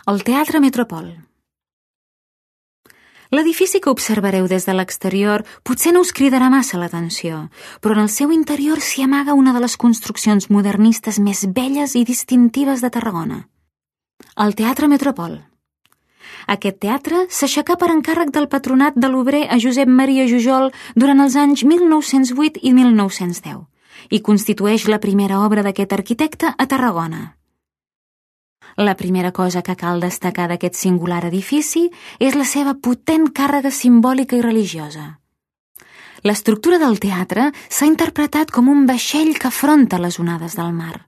El Teatre Metropol. L'edifici que observareu des de l'exterior potser no us cridarà massa l'atenció, però en el seu interior s'hi amaga una de les construccions modernistes més belles i distintives de Tarragona. El Teatre Metropol. Aquest teatre s'aixecà per encàrrec del patronat de l'obrer a Josep Maria Jujol durant els anys 1908 i 1910 i constitueix la primera obra d'aquest arquitecte a Tarragona. La primera cosa que cal destacar d'aquest singular edifici és la seva potent càrrega simbòlica i religiosa. L'estructura del teatre s'ha interpretat com un vaixell que afronta les onades del mar.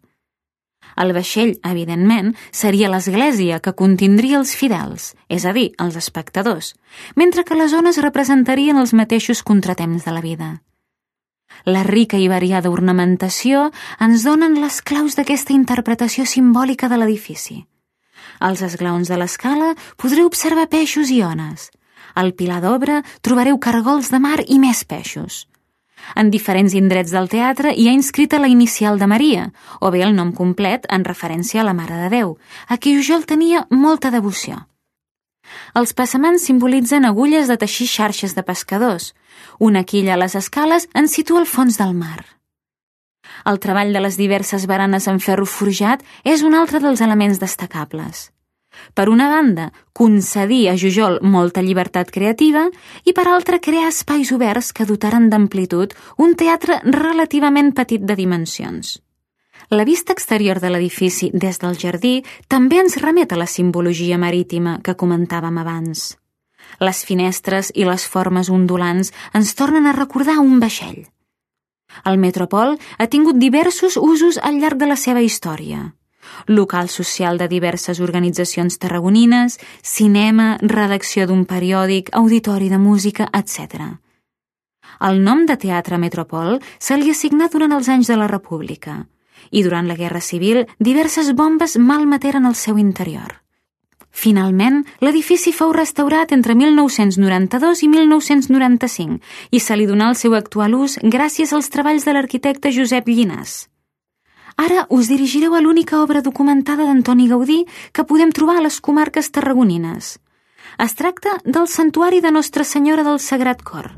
El vaixell, evidentment, seria l'església que contindria els fidels, és a dir, els espectadors, mentre que les ones representarien els mateixos contratemps de la vida. La rica i variada ornamentació ens donen les claus d'aquesta interpretació simbòlica de l'edifici. Als esglaons de l'escala podreu observar peixos i ones. Al pilar d'obra trobareu cargols de mar i més peixos. En diferents indrets del teatre hi ha inscrita la inicial de Maria, o bé el nom complet en referència a la Mare de Déu, a qui Jujol tenia molta devoció. Els passamans simbolitzen agulles de teixir xarxes de pescadors. Una quilla a les escales ens situa al fons del mar. El treball de les diverses baranes en ferro forjat és un altre dels elements destacables. Per una banda, concedir a Jujol molta llibertat creativa i per altra crear espais oberts que dotaren d'amplitud un teatre relativament petit de dimensions. La vista exterior de l'edifici des del jardí també ens remet a la simbologia marítima que comentàvem abans. Les finestres i les formes ondulants ens tornen a recordar un vaixell. El Metropol ha tingut diversos usos al llarg de la seva història. Local social de diverses organitzacions tarragonines, cinema, redacció d'un periòdic, auditori de música, etc. El nom de Teatre Metropol se li assignà durant els anys de la República i durant la Guerra Civil diverses bombes malmeteren el seu interior. Finalment, l'edifici fou restaurat entre 1992 i 1995 i se li donà el seu actual ús gràcies als treballs de l'arquitecte Josep Llinàs. Ara us dirigireu a l'única obra documentada d'Antoni Gaudí que podem trobar a les comarques tarragonines. Es tracta del Santuari de Nostra Senyora del Sagrat Cor,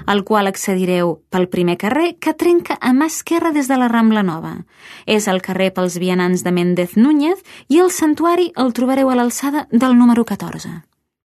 al qual accedireu pel primer carrer que trenca a mà esquerra des de la Rambla Nova. És el carrer pels vianants de Méndez Núñez i el santuari el trobareu a l'alçada del número 14.